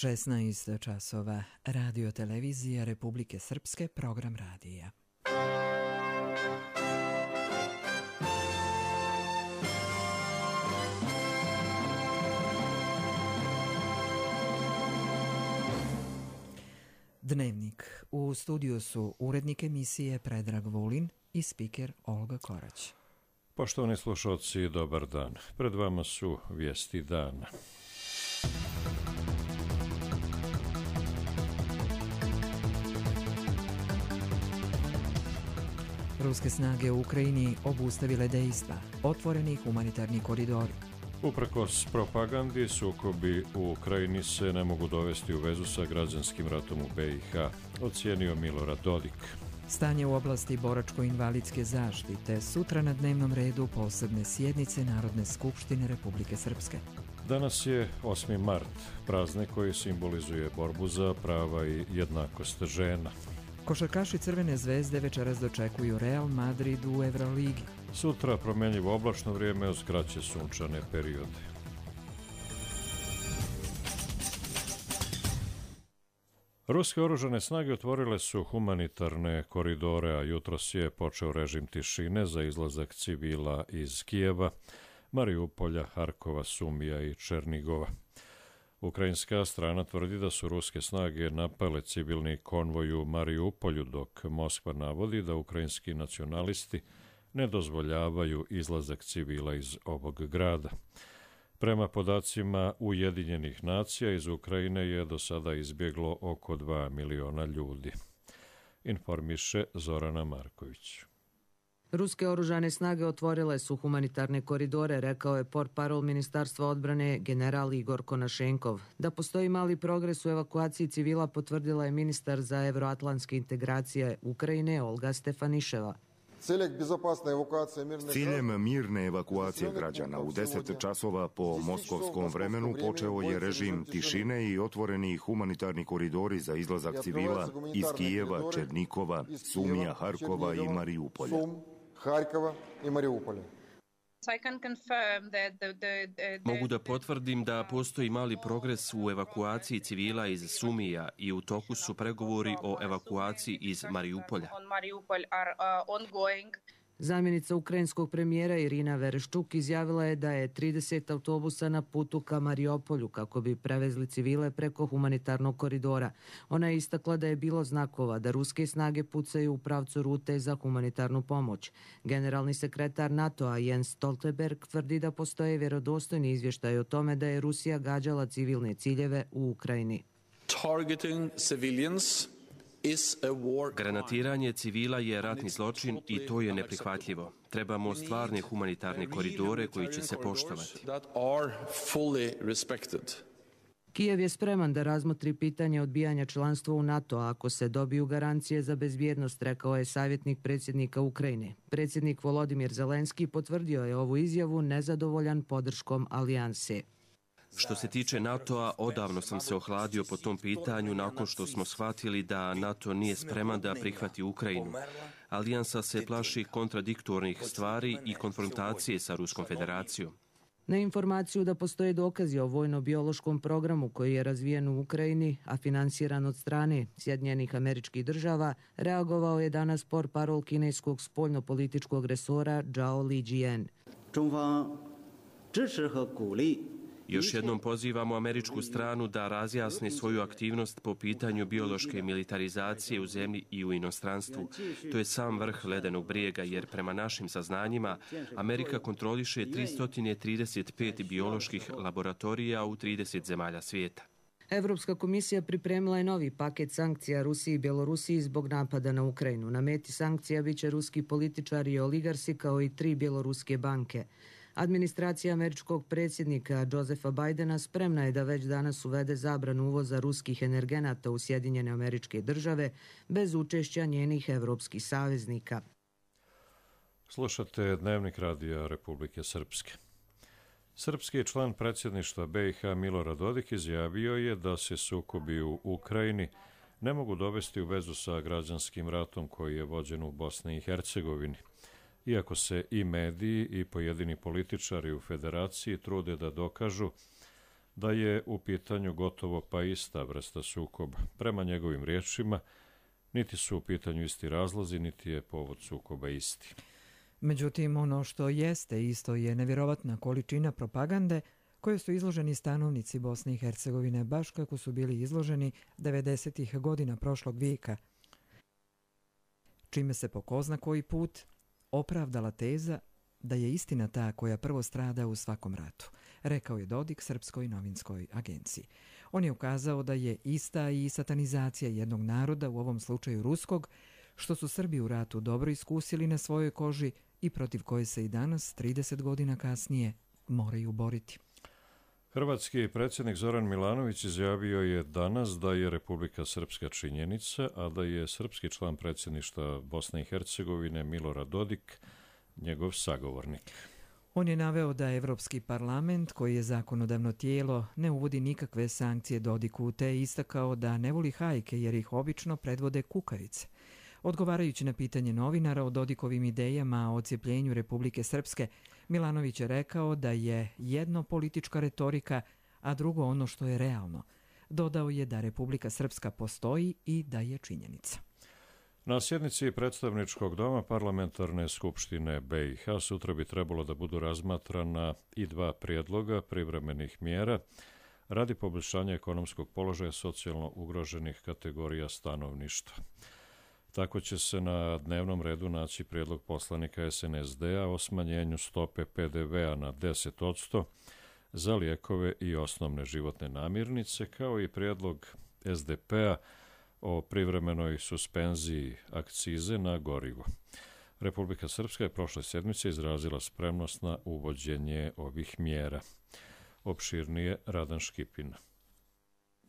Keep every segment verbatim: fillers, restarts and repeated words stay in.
šesnaest časova, Radio televizija Republike Srpske, program radija. Dnevnik. U studiju su urednik emisije Predrag Vulin i spiker Olga Korać. Poštovani slušalci, dobar dan. Pred vama su vijesti dana. Ruske snage u Ukrajini obustavile dejstva. Otvoreni humanitarni koridori. Uprkos propagandi, sukobi u Ukrajini se ne mogu dovesti u vezu sa građanskim ratom u be i ha, ocijenio Milorad Dodik. Stanje u oblasti boračko-invalidske zaštite, sutra na dnevnom redu posebne sjednice Narodne skupštine Republike Srpske. Danas je osmi mart, praznik koji simbolizuje borbu za prava i jednakost žena. Košarkaši Crvene zvezde večeras dočekuju Real Madrid u Euroligi. Sutra promjenjivo oblačno vrijeme uz kraće sunčane periode. Ruske oružane snage otvorile su humanitarne koridore, a jutros je počeo režim tišine za izlazak civila iz Kijeva, Mariupolja, Harkova, Sumija i Černigova. Ukrajinska strana tvrdi da su ruske snage napale civilni konvoj u Mariupolju, dok Moskva navodi da ukrajinski nacionalisti ne dozvoljavaju izlazak civila iz ovog grada. Prema podacima Ujedinjenih nacija, iz Ukrajine je do sada izbjeglo oko dva miliona ljudi. Informiše Zorana Marković. Ruske oružane snage otvorile su humanitarne koridore, rekao je portparol Ministarstva odbrane general Igor Konašenkov. Da postoji mali progres u evakuaciji civila potvrdila je ministar za evroatlantske integracije Ukrajine Olga Stefaniševa. S ciljem mirne evakuacije građana u deset časova po moskovskom vremenu počeo je režim tišine i otvoreni humanitarni koridori za izlazak civila iz Kijeva, Černikova, Sumija, Harkova i Mariupolja. Mogu da potvrdim da postoji mali progres u evakuaciji civila iz Sumija i u toku su pregovori o evakuaciji iz Mariupolja. Zamjenica ukrajinskog premijera Irina Vereščuk izjavila je da je trideset autobusa na putu ka Mariupolju kako bi prevezli civile preko humanitarnog koridora. Ona je istakla da je bilo znakova da ruske snage pucaju u pravcu rute za humanitarnu pomoć. Generalni sekretar NATO-a Jens Stoltenberg tvrdi da postoje vjerodostojni izvještaj o tome da je Rusija gađala civilne ciljeve u Ukrajini. Targeting civilians Granatiranje civila je ratni zločin i to je neprihvatljivo. Trebamo stvarne humanitarne koridore koji će se poštovati. Kijev je spreman da razmotri pitanje odbijanja članstva u NATO ako se dobiju garancije za bezbjednost, rekao je savjetnik predsjednika Ukrajine. Predsjednik Volodimir Zelenski potvrdio je ovu izjavu nezadovoljan podrškom alijanse. Što se tiče NATO-a, odavno sam se ohladio po tom pitanju nakon što smo shvatili da NATO nije spreman da prihvati Ukrajinu. Alijansa se plaši kontradiktornih stvari i konfrontacije sa Ruskom federacijom. Na informaciju da postoje dokazi o vojno-biološkom programu koji je razvijen u Ukrajini, a finansiran od strane Sjedinjenih Američkih Država, reagovao je danas portparol kineskog spoljno-političkog resora Zhao Lijian. Još jednom pozivamo američku stranu da razjasni svoju aktivnost po pitanju biološke militarizacije u zemlji i u inostranstvu. To je sam vrh ledenog brijega, jer prema našim saznanjima Amerika kontroliše tristo trideset pet bioloških laboratorija u trideset zemalja svijeta. Evropska komisija pripremila je novi paket sankcija Rusiji i Bjelorusiji zbog napada na Ukrajinu. Na meti sankcija biće ruski političari i oligarsi kao i tri bjeloruske banke. Administracija američkog predsjednika Josepha Bidena spremna je da već danas uvede zabranu uvoza ruskih energenata u Sjedinjene Američke Države bez učešća njenih evropskih saveznika. Slušate Dnevnik radija Republike Srpske. Srpski član predsjedništva be i ha Milorad Dodik izjavio je da se sukobi u Ukrajini ne mogu dovesti u vezu sa građanskim ratom koji je vođen u Bosni i Hercegovini. Iako se i mediji i pojedini političari u federaciji trude da dokažu da je u pitanju gotovo pa ista vrsta sukoba. Prema njegovim riječima, niti su u pitanju isti razlozi, niti je povod sukoba isti. Međutim, ono što jeste isto je nevjerovatna količina propagande koje su izloženi stanovnici Bosne i Hercegovine, baš kako su bili izloženi devedesetih godina prošlog vijeka, čime se po ko zna koji put opravdala teza da je istina ta koja prvo strada u svakom ratu, rekao je Dodik Srpskoj novinskoj agenciji. On je ukazao da je ista i satanizacija jednog naroda, u ovom slučaju ruskog, što su Srbi u ratu dobro iskusili na svojoj koži i protiv koje se i danas, trideset godina kasnije, moraju boriti. Hrvatski predsjednik Zoran Milanović izjavio je danas da je Republika Srpska činjenica, a da je srpski član predsjedništva Bosne i Hercegovine Milorad Dodik njegov sagovornik. On je naveo da Evropski parlament, koji je zakonodavno tijelo, ne uvodi nikakve sankcije Dodiku, te je istakao da ne voli hajke jer ih obično predvode kukavice. Odgovarajući na pitanje novinara o Dodikovim idejama o odcijepljenju Republike Srpske, Milanović je rekao da je jedno politička retorika, a drugo ono što je realno. Dodao je da Republika Srpska postoji i da je činjenica. Na sjednici predstavničkog doma Parlamentarne skupštine B i H sutra bi trebalo da budu razmatrana i dva prijedloga privremenih mjera radi poboljšanja ekonomskog položaja socijalno ugroženih kategorija stanovništva. Tako će se na dnevnom redu naći prijedlog poslanika S N S D-a o smanjenju stope P D V-a na deset posto za lijekove i osnovne životne namirnice, kao i prijedlog S D P-a o privremenoj suspenziji akcize na gorivo. Republika Srpska je prošle sedmice izrazila spremnost na uvođenje ovih mjera. Opširnije Radan Škipin.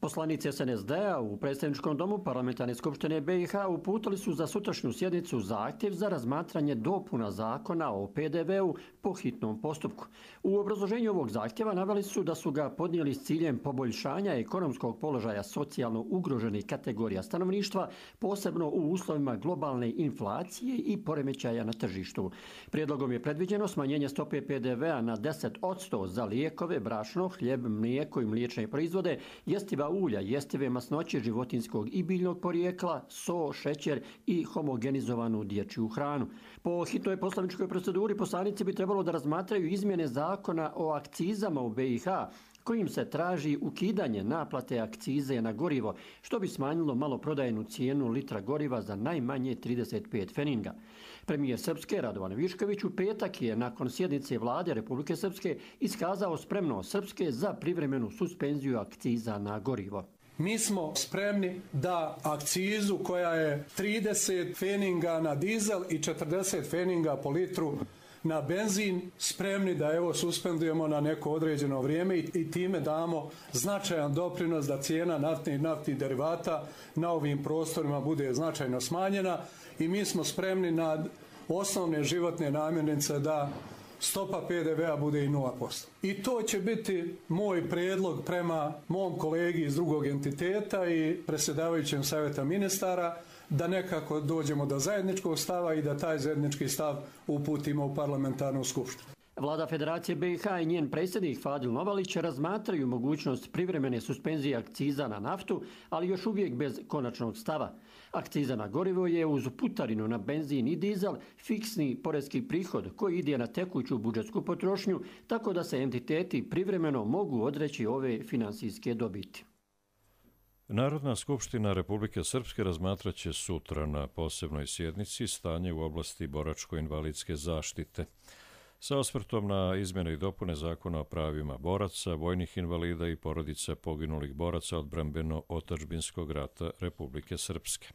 Poslanici S N S D-a u predstavničkom domu Parlamentarne skupštine B i H uputili su za sutrašnju sjednicu zahtjev za razmatranje dopuna zakona o P D V-u po hitnom postupku. U obrazloženju ovog zahtjeva naveli su da su ga podnijeli s ciljem poboljšanja ekonomskog položaja socijalno ugroženih kategorija stanovništva, posebno u uslovima globalne inflacije i poremećaja na tržištu. Prijedlogom je predviđeno smanjenje stope P D V-a na deset posto za lijekove, brašno, hljeb, mlijeko i mliječne proizvode, jestiva ulja, jestive masnoće životinskog i biljnog porijekla, so, šećer i homogenizovanu dječju hranu. Po hitnoj poslovničkoj proceduri poslanici bi trebalo da razmatraju izmjene zakona o akcizama u B i H, kojim se traži ukidanje naplate akcize na gorivo, što bi smanjilo maloprodajnu cijenu litra goriva za najmanje trideset pet feninga. Premijer Srpske Radovan Višković u petak je nakon sjednice vlade Republike Srpske iskazao spremnost Srpske za privremenu suspenziju akciza na gorivo. Mi smo spremni da akcizu koja je trideset feninga na dizel i četrdeset feninga po litru na benzin, spremni da evo suspendujemo na neko određeno vrijeme i, i time damo značajan doprinos da cijena naftnih i naftnih derivata na ovim prostorima bude značajno smanjena i mi smo spremni na osnovne životne namirnice da stopa P D V-a bude i nula posto. I to će biti moj prijedlog prema mom kolegi iz drugog entiteta i predsjedavajućem savjeta ministara, da nekako dođemo do zajedničkog stava i da taj zajednički stav uputimo u parlamentarnu skupštinu. Vlada Federacije B i H i njen predsjednik Fadil Novalić razmatraju mogućnost privremene suspenzije akciza na naftu, ali još uvijek bez konačnog stava. Akciza na gorivo je uz putarinu na benzin i dizel fiksni porezki prihod koji ide na tekuću budžetsku potrošnju, tako da se entiteti privremeno mogu odreći ove finansijske dobiti. Narodna skupština Republike Srpske razmatraće sutra na posebnoj sjednici stanje u oblasti boračko-invalidske zaštite. Sa osvrtom na izmjene i dopune zakona o pravima boraca, vojnih invalida i porodica poginulih boraca odbrambeno-otadžbinskog rata Republike Srpske.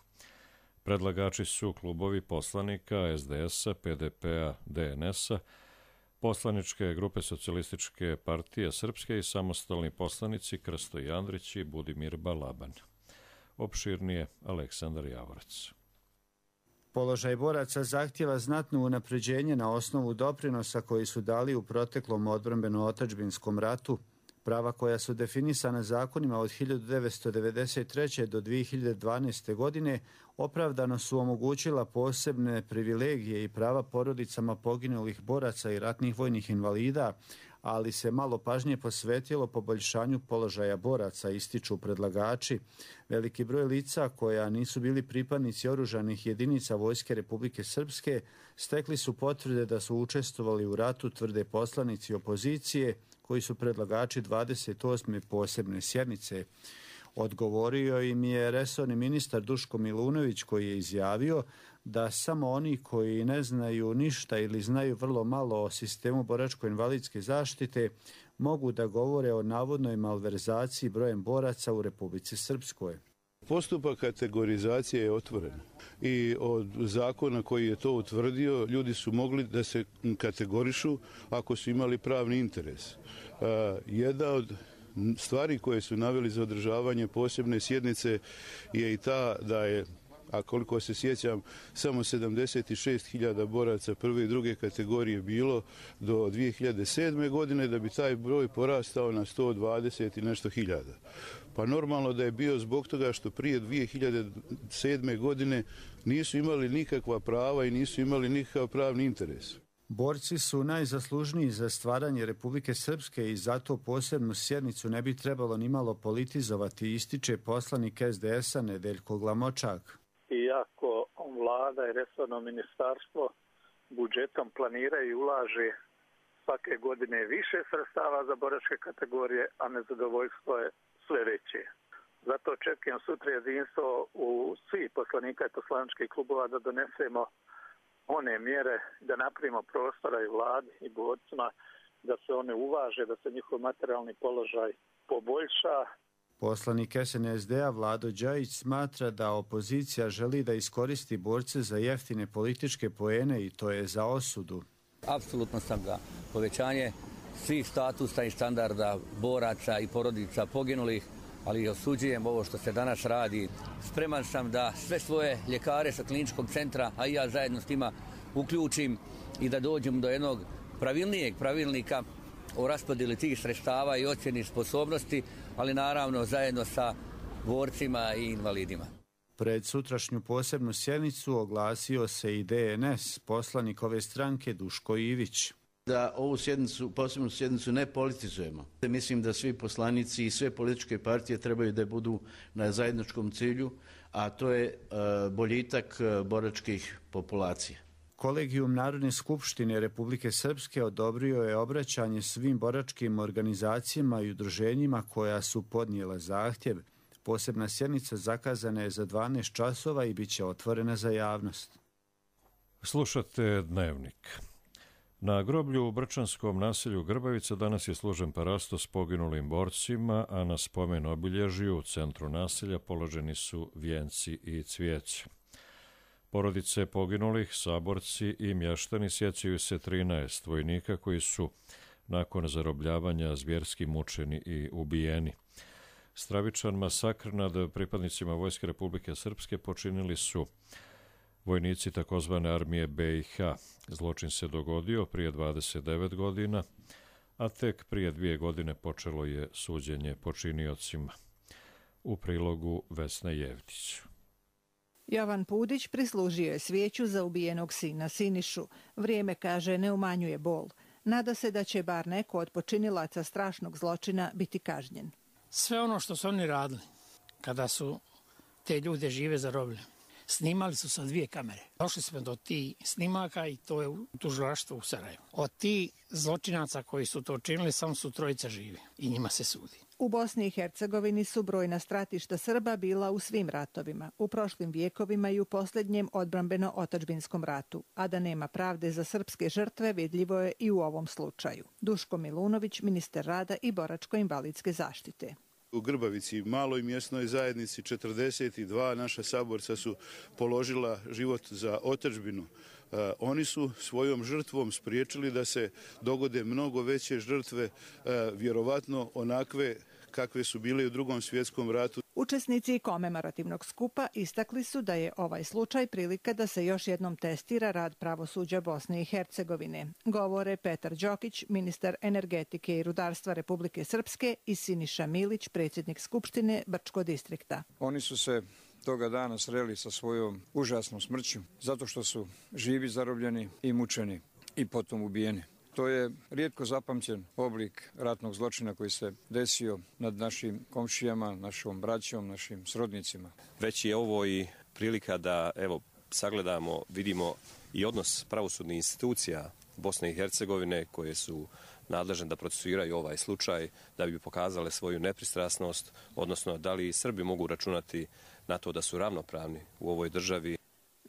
Predlagači su klubovi poslanika S D S-a, P D P-a, D N S-a, poslaničke grupe Socijalističke partije Srpske i samostalni poslanici Krsto Jandrić i Budimir Balaban. Opširnije Aleksandar Javorac. Položaj boraca zahtjeva znatno unapređenje na osnovu doprinosa koji su dali u proteklom odbrambeno-otadžbinskom ratu. Prava koja su definisana zakonima od hiljadu devetsto devedeset treće. do dvije hiljade dvanaeste. godine opravdano su omogućila posebne privilegije i prava porodicama poginulih boraca i ratnih vojnih invalida, ali se malo pažnje posvetilo poboljšanju položaja boraca, ističu predlagači. Veliki broj lica koja nisu bili pripadnici oružanih jedinica Vojske Republike Srpske stekli su potvrde da su učestvovali u ratu, tvrde poslanici opozicije, koji su predlagači dvadeset osme posebne sjednice. Odgovorio im je resorni ministar Duško Milunović, koji je izjavio da samo oni koji ne znaju ništa ili znaju vrlo malo o sistemu boračko-invalidske zaštite mogu da govore o navodnoj malverzaciji brojem boraca u Republici Srpskoj. Postupak kategorizacije je otvoren i od zakona koji je to utvrdio ljudi su mogli da se kategorišu ako su imali pravni interes. Jedna od stvari koje su naveli za održavanje posebne sjednice je i ta da je, a koliko se sjećam, samo sedamdeset šest hiljada boraca prve i druge kategorije bilo do dvije hiljade sedme. godine, da bi taj broj porastao na sto dvadeset i nešto hiljada. Pa normalno da je bio zbog toga što prije dvije hiljade sedme. godine nisu imali nikakva prava i nisu imali nikakav pravni interes. Borci su najzaslužniji za stvaranje Republike Srpske i zato posebnu sjednicu ne bi trebalo nimalo politizovati, ističe poslanik es de es a Nedeljko Glamočak. Iako vlada i resorno ministarstvo budžetom planira i ulaže svake godine više sredstava za boračke kategorije, a nezadovoljstvo je sve veće. Zato očekujem sutra jedinstvo u svih poslanika i poslaničkih klubova da donesemo one mjere, da napravimo prostora i vladi i borcima, da se one uvaže, da se njihov materijalni položaj poboljša. Poslanik es en es de a Vlado Đajić smatra da opozicija želi da iskoristi borce za jeftine političke poene i to je za osudu. Apsolutno sam za povećanje svih statusa i standarda boraca i porodica poginulih, ali osuđujem ovo što se danas radi. Spreman sam da sve svoje ljekare sa kliničkog centra, a i ja zajedno s njima, uključim i da dođem do jednog pravilnijeg pravilnika o raspodjeli tih sredstava i ocjeni sposobnosti, ali naravno zajedno sa borcima i invalidima. Pred sutrašnju posebnu sjednicu oglasio se i de en es, poslanik ove stranke Duško Ivić. Da ovu sjednicu, posebnu sjednicu ne politizujemo. Mislim da svi poslanici i sve političke partije trebaju da budu na zajedničkom cilju, a to je boljitak boračkih populacija. Kolegijum Narodne skupštine Republike Srpske odobrio je obraćanje svim boračkim organizacijama i udruženjima koja su podnijela zahtjev. Posebna sjednica zakazana je za dvanaest časova i bit će otvorena za javnost. Slušate Dnevnik. Na groblju u Brčanskom naselju Grbavica danas je složen parasto s poginulim borcima, a na spomen obilježju u centru naselja položeni su vijenci i cvijeće. Porodice poginulih, saborci i mještani sjećaju se trinaest vojnika koji su nakon zarobljavanja zvjerski mučeni i ubijeni. Stravičan masakr nad pripadnicima Vojske Republike Srpske počinili su vojnici takozvane armije be i ha. Zločin se dogodio prije dvadeset devet godina, a tek prije dvije godine počelo je suđenje počiniocima. U prilogu Vesna Jevtić. Jovan Pudić prislužio je svijeću za ubijenog sina Sinišu. Vrijeme, kaže, ne umanjuje bol. Nada se da će bar neko od počinilaca strašnog zločina biti kažnjen. Sve ono što su oni radili, kada su te ljude žive zarobili, snimali su sa dvije kamere. Došli smo do tih snimaka i to je u tužilaštvu u Sarajevu. Od tih zločinaca koji su to činili, samo su trojica živi i njima se sudi. U Bosni i Hercegovini su brojna stratišta Srba bila u svim ratovima, u prošlim vijekovima i u posljednjem odbrambeno-otadžbinskom ratu, a da nema pravde za srpske žrtve vidljivo je i u ovom slučaju. Duško Milunović, ministar rada i boračko-invalidske zaštite. U Grbavici, maloj mjesnoj zajednici, četrdeset dva naša saborca su položila život za otadžbinu. Uh, oni su svojom žrtvom spriječili da se dogode mnogo veće žrtve, uh, vjerovatno onakve kakve su bile u Drugom svjetskom ratu. Učesnici komemorativnog skupa istakli su da je ovaj slučaj prilika da se još jednom testira rad pravosuđa Bosne i Hercegovine. Govore Petar Đokić, ministar energetike i rudarstva Republike Srpske, i Siniša Milić, predsjednik Skupštine Brčko distrikta. Oni su se toga dana sreli sa svojom užasnom smrću zato što su živi zarobljeni i mučeni i potom ubijeni. To je rijetko zapamćen oblik ratnog zločina koji se desio nad našim komšijama, našom braćom, našim srodnicima. Već je ovo i prilika da evo sagledamo, vidimo i odnos pravosudnih institucija Bosne i Hercegovine koje su nadležne da procesuiraju ovaj slučaj, da bi pokazale svoju nepristrasnost, odnosno da li Srbi mogu računati na to da su ravnopravni u ovoj državi.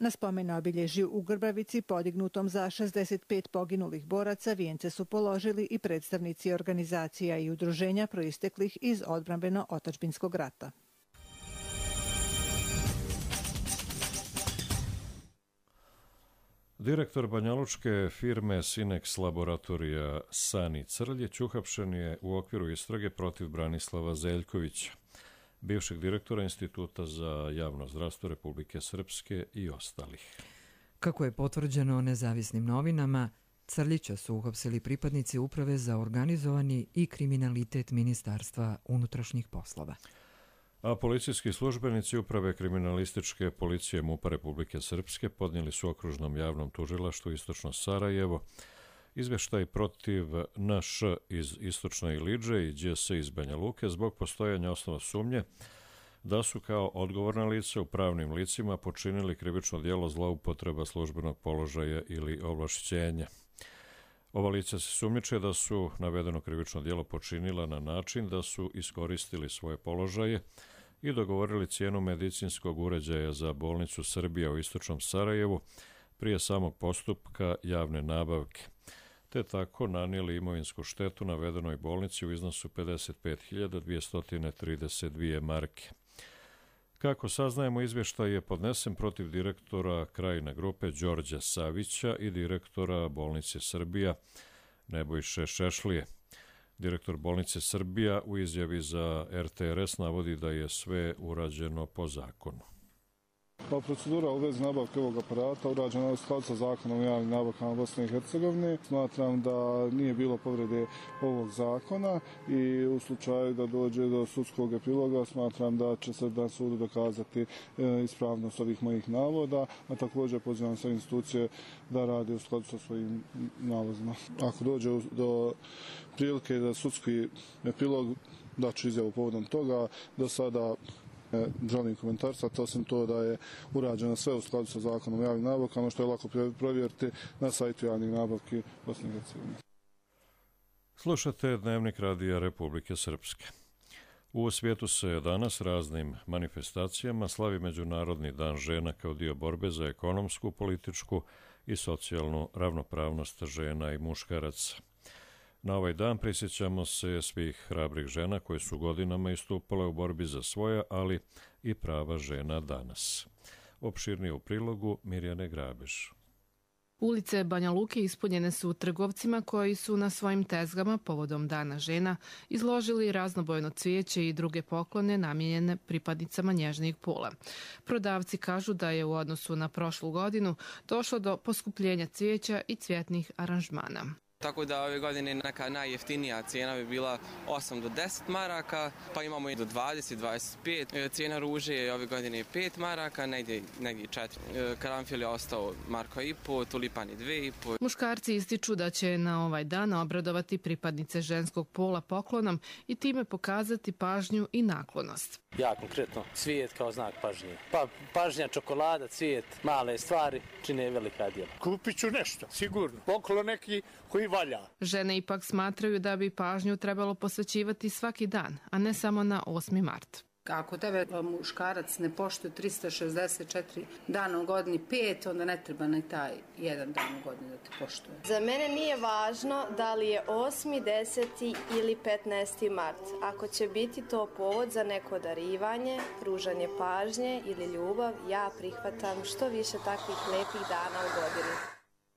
Na spomen obilježju u Grbavici, podignutom za šezdeset pet poginulih boraca, vijence su položili i predstavnici organizacija i udruženja proisteklih iz odbrambeno-otadžbinskog rata. Direktor banjalučke firme Sinex laboratorija Sani Crljić uhapšen je u okviru istrage protiv Branislava Zeljkovića, bivšeg direktora Instituta za javno zdravstvo Republike Srpske i ostalih. Kako je potvrđeno nezavisnim novinama, Crljića su uhapsili pripadnici Uprave za organizovani i kriminalitet Ministarstva unutrašnjih poslova. A policijski službenici Uprave kriminalističke policije MUP-a Republike Srpske podnijeli su okružnom javnom tužilaštvu Istočno Sarajevo izveštaj protiv N Š iz Istočne Ilidže i Đ S iz Banja Luke zbog postojanja osnova sumnje da su kao odgovorna lica u pravnim licima počinili krivično djelo zloupotreba službenog položaja ili ovlašćenja. Ova lica se sumnjiče da su navedeno krivično djelo počinila na način da su iskoristili svoje položaje i dogovorili cijenu medicinskog uređaja za bolnicu Srbija u Istočnom Sarajevu prije samog postupka javne nabavke, te tako nanijeli imovinsku štetu navedenoj bolnici u iznosu pedeset pet hiljada dvjesto trideset dvije marke. Kako saznajemo, izvještaj je podnesen protiv direktora Krajina grupe Đorđa Savića i direktora bolnice Srbija Nebojše Šešlije. Direktor bolnice Srbija u izjavi za R T R S navodi da je sve urađeno po zakonu. Pa procedura u vezi nabavke ovog aparata urađena je u skladu sa zakonom o javnim nabavkama Bosne i Hercegovine. Smatram da nije bilo povrede ovog zakona i u slučaju da dođe do sudskog epiloga smatram da će se na sudu dokazati ispravnost ovih mojih navoda, a također pozivam sve institucije da rade u skladu sa svojim nalozima. Ako dođe do prilike za sudski epilog, da ću izjavu povodom toga. Do sada želim komentarsati, osim to da je urađeno sve u skladu sa zakonom o javnim nabavkama, što je lako provjeriti na sajtu javnih nabavki Bosne i Hercegovine. Slušate Dnevnik radija Republike Srpske. U svijetu se danas raznim manifestacijama slavi Međunarodni dan žena kao dio borbe za ekonomsku, političku i socijalnu ravnopravnost žena i muškaraca. Na ovaj dan prisjećamo se svih hrabrih žena koje su godinama istupale u borbi za svoja, ali i prava žena danas. Opširnije u prilogu Mirjane Grabež. Ulice Banja Luke ispunjene su trgovcima koji su na svojim tezgama povodom Dana žena izložili raznobojno cvijeće i druge poklone namijenjene pripadnicama nježnijeg pola. Prodavci kažu da je u odnosu na prošlu godinu došlo do poskupljenja cvijeća i cvjetnih aranžmana. Tako da ove godine neka najjeftinija cijena bi bila osam do deset maraka, pa imamo i do dvadeset do dvadeset pet. Cijena ruže je ove godine pet maraka, negdje, negdje četiri. Karanfil je ostao marka i po, tulipani dve i po. Muškarci ističu da će na ovaj dan obradovati pripadnice ženskog pola poklonom i time pokazati pažnju i naklonost. Ja konkretno cvijet kao znak pažnje. Pa pažnja, čokolada, cvijet, male stvari čine velika djela. Kupit ću nešto, sigurno. Poklon neki koji valja. Žene ipak smatraju da bi pažnju trebalo posvećivati svaki dan, a ne samo na osmi mart. Ako tebe muškarac ne poštuje trista šezdeset četiri dana u godini pet, onda ne treba ni taj jedan dan u godini da te poštuje. Za mene nije važno da li je osmi, deseti ili petnaesti mart. Ako će biti to povod za neko darivanje, pružanje pažnje ili ljubav, ja prihvatam što više takvih lepih dana u godini.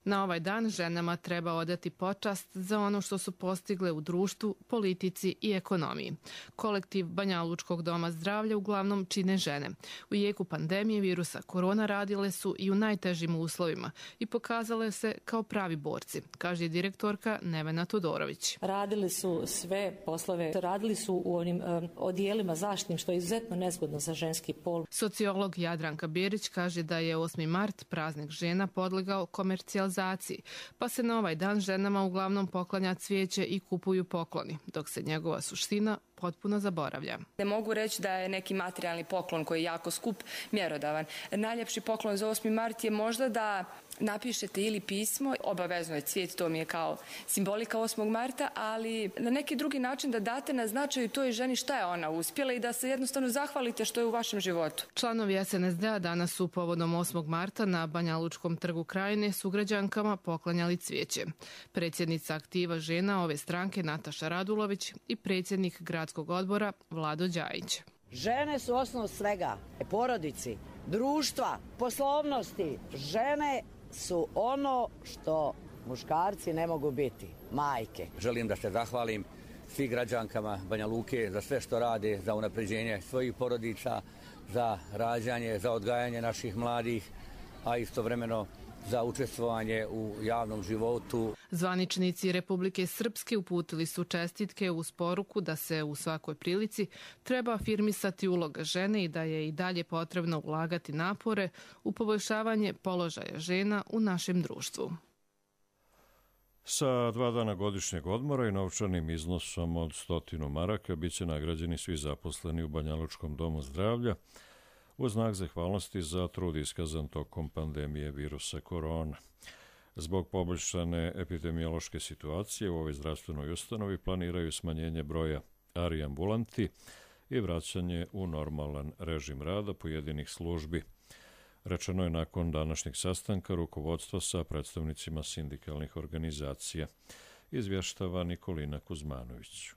Na ovaj dan ženama treba odati počast za ono što su postigle u društvu, politici i ekonomiji. Kolektiv Banjalučkog doma zdravlja uglavnom čine žene. U jeku pandemije virusa korona radile su i u najtežim uslovima i pokazale se kao pravi borci, kaže direktorka Nevena Todorović. Radili su sve poslove, radili su u onim um, odijelima zaštitnim, što je izuzetno nezgodno za ženski pol. Sociolog Jadranka Bjerić kaže da je osmi mart, praznik žena, podlegao komercijalizaciji realizaciji, pa se na ovaj dan ženama uglavnom poklanja cvijeće i kupuju pokloni, dok se njegova suština potpuno zaboravlja. Ne mogu reći da je neki materijalni poklon koji je jako skup mjerodavan. Najljepši poklon za osmi mart je možda da napišete ili pismo, obavezno je cvijet, to mi je kao simbolika osmog marta, ali na neki drugi način da date na značaju toj ženi šta je ona uspjela i da se jednostavno zahvalite što je u vašem životu. Članovi S N S D-a danas su povodom osmog marta na Banjalučkom trgu Krajine sugrađankama poklanjali cvijeće. Predsjednica aktiva žena ove stranke Nataša Radulović i predsjednik gradskog odbora Vlado Đajić. Žene su osnov svega, porodici, društva, poslovnosti. Žene su ono što muškarci ne mogu biti, majke. Želim da se zahvalim svim građankama Banja Luke za sve što rade, za unapređenje svojih porodica, za rađanje, za odgajanje naših mladih, a istovremeno za učestvovanje u javnom životu. Zvaničnici Republike Srpske uputili su čestitke uz poruku da se u svakoj prilici treba afirmisati uloga žene i da je i dalje potrebno ulagati napore u poboljšavanje položaja žena u našem društvu. Sa dva dana godišnjeg odmora i novčanim iznosom od stotinu maraka bit će nagrađeni svi zaposleni u Banjalučkom domu zdravlja u znak zahvalnosti za trud iskazan tokom pandemije virusa korona. Zbog poboljšane epidemiološke situacije u ovoj zdravstvenoj ustanovi planiraju smanjenje broja A R I ambulanti i vraćanje u normalan režim rada pojedinih službi. Rečeno je nakon današnjeg sastanka rukovodstva sa predstavnicima sindikalnih organizacija. Izvještava Nikolina Kuzmanović.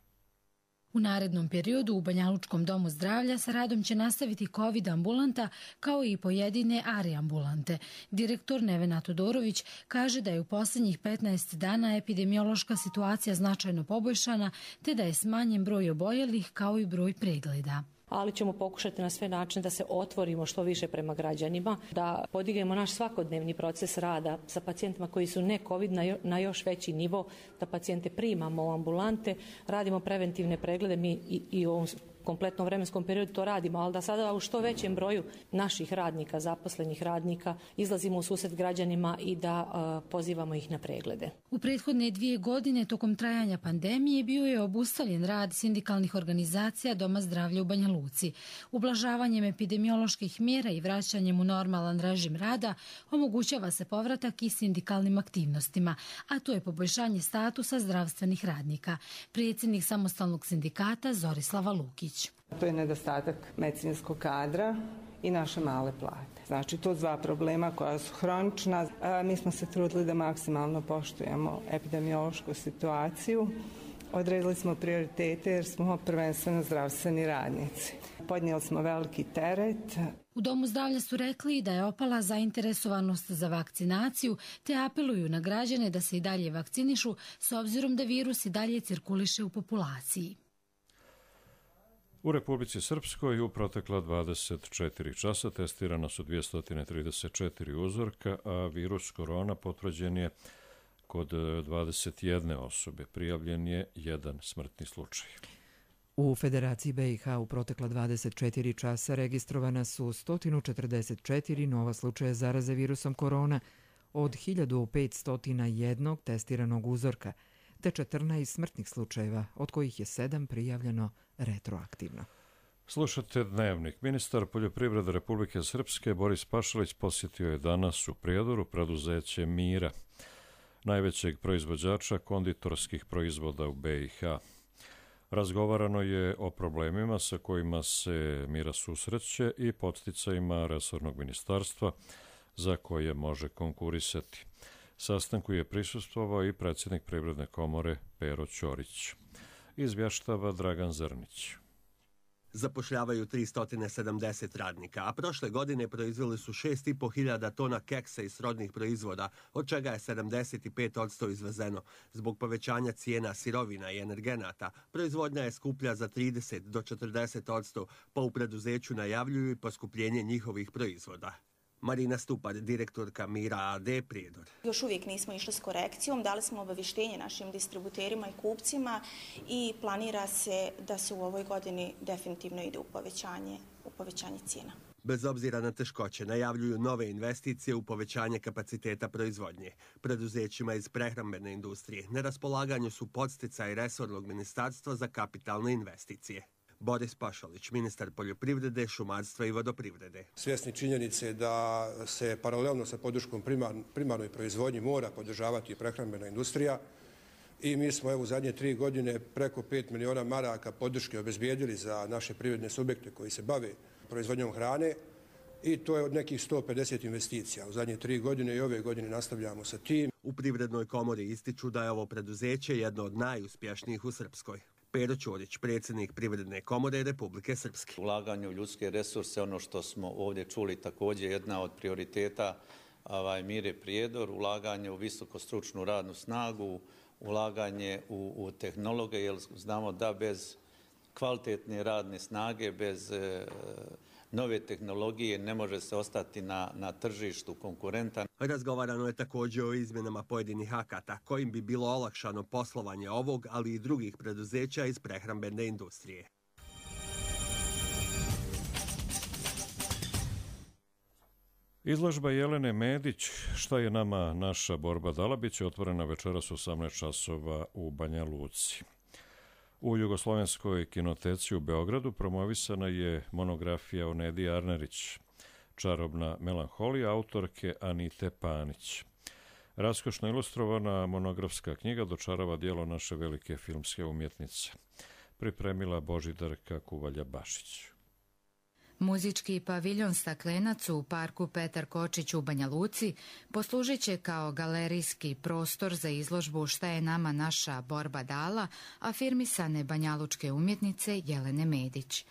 U narednom periodu u Banjalučkom domu zdravlja sa radom će nastaviti COVID ambulanta kao i pojedine A R I ambulante. Direktor Nevena Todorović kaže da je u posljednjih petnaest dana epidemiološka situacija značajno poboljšana te da je smanjen broj oboljelih kao i broj pregleda. Ali ćemo pokušati na sve načine da se otvorimo što više prema građanima, da podignemo naš svakodnevni proces rada sa pacijentima koji su ne COVID na još veći nivo, da pacijente primamo u ambulante, radimo preventivne preglede, mi i, i u ovom kompletnom vremenskom periodu to radimo, ali da sada u što većem broju naših radnika, zaposlenih radnika, izlazimo u susret građanima i da uh, pozivamo ih na preglede. U prethodne dvije godine tokom trajanja pandemije bio je obustavljen rad sindikalnih organizacija Doma zdravlja u Banja Luci. Ublažavanjem epidemioloških mjera i vraćanjem u normalan režim rada omogućava se povratak i sindikalnim aktivnostima, a to je poboljšanje statusa zdravstvenih radnika. Predsjednik samostalnog sindikata Zorislava Lukić. To je nedostatak medicinskog kadra i naše male plate. Znači, to dva problema koja su hronična. Mi smo se trudili da maksimalno poštujemo epidemiološku situaciju. Odredili smo prioritete jer smo prvenstveno zdravstveni radnici. Podnijeli smo veliki teret. U Domu zdravlja su rekli da je opala zainteresovanost za vakcinaciju te apeluju na građane da se i dalje vakcinišu s obzirom da virus i dalje cirkuliše u populaciji. U Republici Srpskoj u protekla dvadeset četiri časa testirano su dvjesto trideset četiri uzorka, a virus korona potvrđen je kod dvadeset jedne osobe. Prijavljen je jedan smrtni slučaj. U Federaciji B i H u protekla dvadeset četiri časa registrovana su sto četrdeset četiri nova slučaja zaraze virusom korona od hiljadu petsto jedan testiranog uzorka, te četrnaest smrtnih slučajeva, od kojih je sedam prijavljeno retroaktivno. Slušate Dnevnik. Ministar poljoprivrede Republike Srpske Boris Pašalić posjetio je danas u Prijedoru preduzeće Mira, najvećeg proizvođača konditorskih proizvoda u B i H. Razgovarano je o problemima sa kojima se Mira susreće i podsticajima resornog ministarstva za koje može konkurisati. Sastanku je prisustvovao i predsjednik Privredne komore Pero Ćorić. Izvještava Dragan Zrnić. Zapošljavaju tristo sedamdeset radnika, a prošle godine proizveli su šest i po hiljada tona keksa i srodnih proizvoda, od čega je sedamdeset pet posto izvezeno. Zbog povećanja cijena sirovina i energenata, proizvodnja je skuplja za trideset do četrdeset posto, pa u preduzeću najavljuju i poskupljenje njihovih proizvoda. Marina Stupar, direktorka Mira A D Prijedor. Još uvijek nismo išli s korekcijom, dali smo obavještenje našim distributerima i kupcima i planira se da se u ovoj godini definitivno ide u povećanje u povećanje cijena. Bez obzira na teškoće, najavljuju nove investicije u povećanje kapaciteta proizvodnje. Preduzećima iz prehrambene industrije na raspolaganju su podsticaji resornog ministarstva za kapitalne investicije. Boris Pašalić, ministar poljoprivrede, šumarstva i vodoprivrede. Svjesni činjenice da se paralelno sa podrškom primar, primarnoj proizvodnji mora podržavati prehrambena industrija i mi smo evo u zadnje tri godine preko pet miliona maraka podrške obezbijedili za naše privredne subjekte koji se bave proizvodnjom hrane i to je od nekih sto pedeset investicija. U zadnje tri godine i ove godine nastavljamo sa tim. U Privrednoj komori ističu da je ovo preduzeće jedno od najuspješnijih u Srpskoj. Pero Ćorić, predsjednik Privredne komore Republike Srpske. Ulaganje u ljudske resurse, ono što smo ovdje čuli, također jedna od prioriteta ovaj, Mire Prijedor, ulaganje u visokostručnu radnu snagu, ulaganje u, u tehnologe, jer znamo da bez kvalitetne radne snage, bez e, nove tehnologije ne može se ostati na, na tržištu konkurentan. Razgovarano je također o izmjenama pojedinih akata, kojim bi bilo olakšano poslovanje ovog, ali i drugih preduzeća iz prehrambene industrije. Izložba Jelene Medić, šta je nama naša borba dala, bit će otvorena večeras u osamnaest časova u Banja Luci. U Jugoslovenskoj kinoteci u Beogradu promovisana je monografija o Nedi Arnerić, Čarobna melanholija, autorke Anite Panić. Raskošno ilustrovana monografska knjiga dočarava dijelo naše velike filmske umjetnice. Pripremila Božidarka Kuvalja-Bašić. Muzički paviljon Staklenac u parku Petar Kočić u Banja Luci poslužit će kao galerijski prostor za izložbu Šta je nama naša borba dala, afirmisane banjalučke umjetnice Jelene Medić.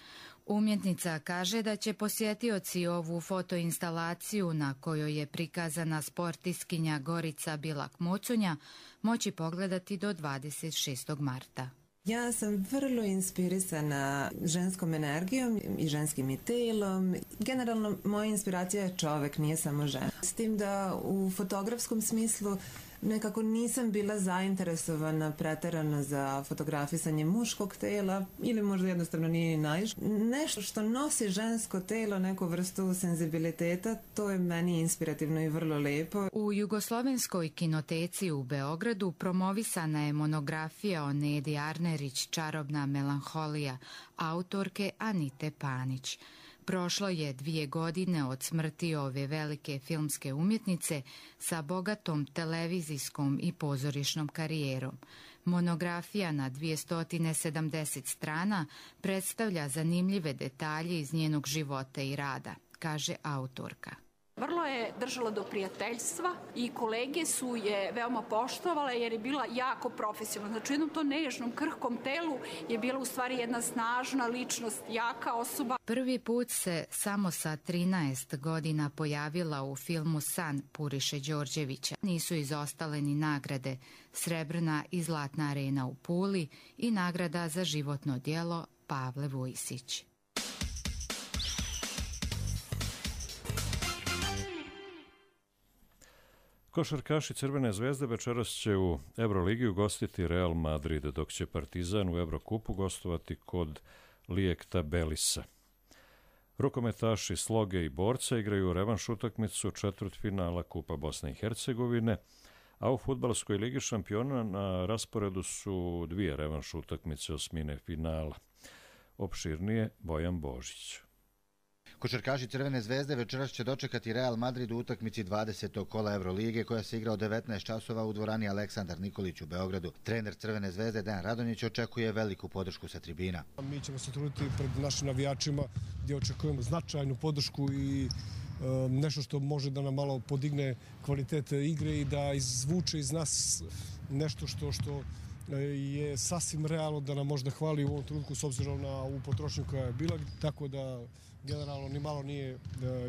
Umjetnica kaže da će posjetioci ovu fotoinstalaciju na kojoj je prikazana sportiskinja Gorica Bilak-Mocunja moći pogledati do dvadeset šestog marta. Ja sam vrlo inspirisana ženskom energijom i ženskim i telom. Generalno, moja inspiracija je čovek, nije samo žena. S tim da u fotografskom smislu nekako nisam bila zainteresovana preterano za fotografisanje muškog tela ili možda jednostavno nije ni naiš. Nešto što nosi žensko telo, neku vrstu senzibiliteta, to je meni inspirativno i vrlo lepo. U Jugoslovenskoj kinoteci u Beogradu promovisana je monografija o Nedi Arnerić, Čarobna melanholija, autorke Anite Panić. Prošlo je dvije godine od smrti ove velike filmske umjetnice sa bogatom televizijskom i pozorišnom karijerom. Monografija na dvjesto sedamdeset strana predstavlja zanimljive detalje iz njenog života i rada, kaže autorka. Vrlo je držala do prijateljstva i kolege su je veoma poštovale jer je bila jako profesionalna. Znači u jednom to nežnom, krhkom telu je bila u stvari jedna snažna ličnost, jaka osoba. Prvi put se samo sa trinaest godina pojavila u filmu San Puriše Đorđevića. Nisu izostale ni nagrade Srebrna i Zlatna arena u Puli i nagrada za životno djelo Pavle Vujsić. Košarkaši Crvene zvezde večeras će u Euroligi ugostiti Real Madrid, dok će Partizan u Evrokupu gostovati kod Lijekta Belisa. Rukometaši Sloge i Borca igraju revanš utakmicu četvrtfinala Kupa Bosne i Hercegovine, a u fudbalskoj ligi šampiona na rasporedu su dvije revanš utakmice osmine finala. Opširnije Bojan Božić. Košarkaši Crvene zvezde večeras će dočekati Real Madrid u utakmici dvadesetog kola Evrolige koja se igra od devetnaest časova u dvorani Aleksandar Nikolić u Beogradu. Trener Crvene zvezde Dejan Radonjić očekuje veliku podršku sa tribina. Mi ćemo se truditi pred našim navijačima gdje očekujemo značajnu podršku i e, nešto što može da nam malo podigne kvalitet igre i da izvuče iz nas nešto što što je sasvim realno da nam možda hvali u ovom trenutku s obzirom na ovu potrošnju koja je bila, tako da generalno ni malo nije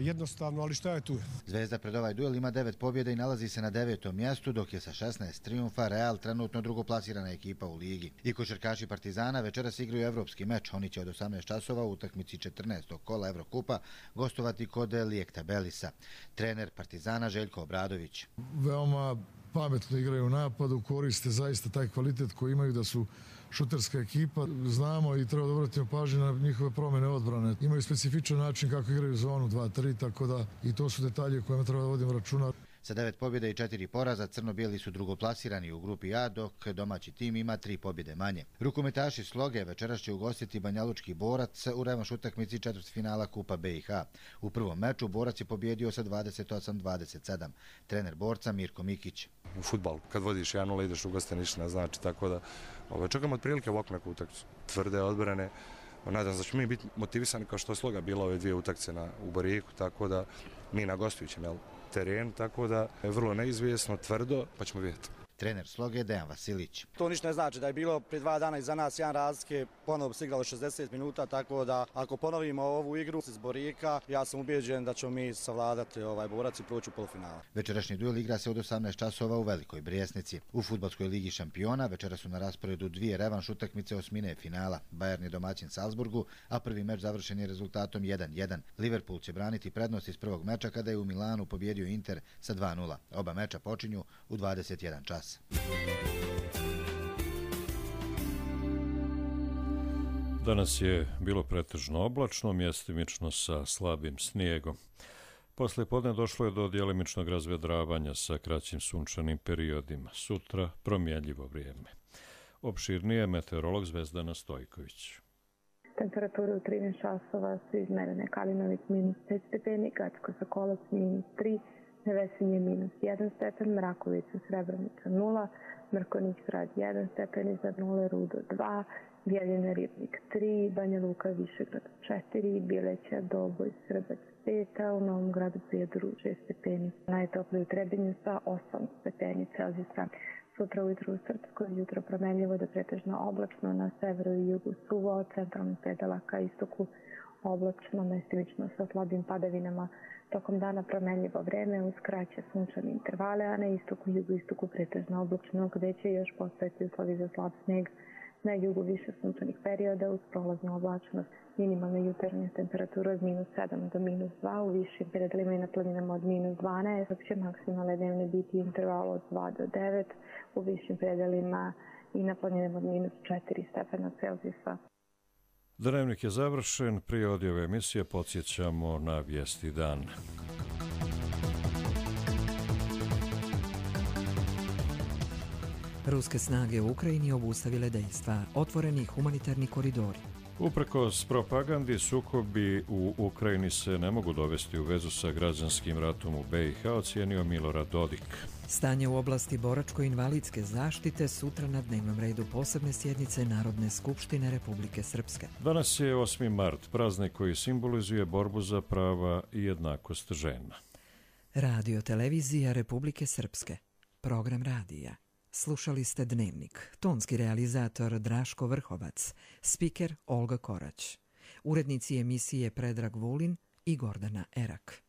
jednostavno, ali šta je tu? Zvezda pred ovaj duel ima devet pobjeda i nalazi se na devetom mjestu, dok je sa šesnaest trijumfa Real trenutno drugoplasirana ekipa u ligi. I košarkaši Partizana večeras igraju evropski meč. Oni će od osamnaest časova u utakmici četrnaestog kola Evrokupa gostovati kod Lijekta Belisa. Trener Partizana Željko Obradović. Veoma pametno igraju u napadu, koriste zaista taj kvalitet koji imaju da su šuterska ekipa. Znamo i treba da obratimo pažnju na njihove promjene odbrane. Imaju specifičan način kako igraju zonu dva tri, tako da i to su detalje o kojima treba da vodimo računa. Sa devet pobjeda i četiri poraza, crno-bijeli su drugoplasirani u grupi A, dok domaći tim ima tri pobjede manje. Rukometaši Sloge večeras će ugostiti Banjalučki Borac u revanš utakmici četvrtfinala Kupa B i H. U prvom meču Borac je pobjedio sa dvadeset osam dvadeset sedam. Trener Borca Mirko Mikić. U fudbalu, kad vodiš jedan nula ideš u goste, ništa ne znači, tako da ovaj, čekamo otprilike ovakvu neku utakmicu. Tvrde odbrane, nadam se da ćemo mi biti motivisani kao što je Sloga bila ove dvije utakmice na, u Boriku, tako da mi na gostujućem, jel? Teren, tako da je vrlo neizvjesno, tvrdo, pa ćemo vidjeti. Trener Sloge Dejan Vasilić. To ništa ne znači da je bilo prije dva dana iza nas jedan razlike, ponovo se igralo šezdeset minuta, tako da ako ponovimo ovu igru iz Borika, ja sam ubijeđen da ćemo mi savladati ovaj Borac i proći u polufinala. Večerašnji duel igra se od osamnaest časova u Velikoj Brijesnici. U fudbalskoj ligi šampiona večera su na rasporedu dvije revanš utakmice osmine finala. Bayern je domaćin Salzburgu, a prvi meč završen je rezultatom jedan jedan. Liverpool će braniti prednost iz prvog meča kada je u Milanu pobjedio Inter sa dva nula. Oba meča počinju u dvadeset jedan čas. Danas je bilo pretežno oblačno, mjestimično sa slabim snijegom. Posle podne došlo je do djelimičnog razvedravanja sa kraćim sunčanim periodima. Sutra promjenljivo vrijeme. Opširnije meteorolog Zvezdana Stojković. Temperature u trinaest časova su izmerene: Kalinović minus pet stepeni, Gacko Sokolac minus tri, Nevesinje minus jedan stepen, Mrakovica Srebrenica nula, Mrkonjić Grad jedan stepen, iznad nule Rudo dva, Bijeljina Ribnik tri, Banja Luka Višegrad četiri, Bileća Doboj Srbac pet, a u Novom Gradu Prijedoru šest stepeni. Najtoplije u Trebinju sa osam stepeni Celzijusa. Sutra ujutro u Srpskoj, jutro promenljivo do pretežno oblačno, na severu i jugu suvo, od centralnih predela ka istoku oblačno, mestimično sa slabim padavinama. Tokom dana promenljivo vreme uz kraće sunčane intervale, a na istoku i jugu istoku pretežno oblačno, gde će još postojati uslovi za slab sneg. Na jugu više sunčanih perioda uz prolaznu oblačnost. Minimalna jutarnja temperatura od minus sedam do minus dva, u višim predelima i na planinama od minus dvanaest, dok će maksimalne dnevne biti interval od dva do devet, u višim predelima i na planinama od minus četiri stepena Celzijusa. Dnevnik je završen, prije odjave emisije podsjećamo na vijesti dan. Ruske snage u Ukrajini obustavile dejstva, otvoreni humanitarni koridori. Uprkos propagandi, sukobi u Ukrajini se ne mogu dovesti u vezu sa građanskim ratom u B i H, ocijenio Milorad Dodik. Stanje u oblasti boračko-invalidske zaštite sutra na dnevnom redu posebne sjednice Narodne skupštine Republike Srpske. Danas je osmi mart, praznik koji simbolizuje borbu za prava i jednakost žena. Radio televizija Republike Srpske. Program radija. Slušali ste Dnevnik. Tonski realizator Draško Vrhovac. Spiker Olga Korać. Urednici emisije Predrag Vulin i Gordana Erak.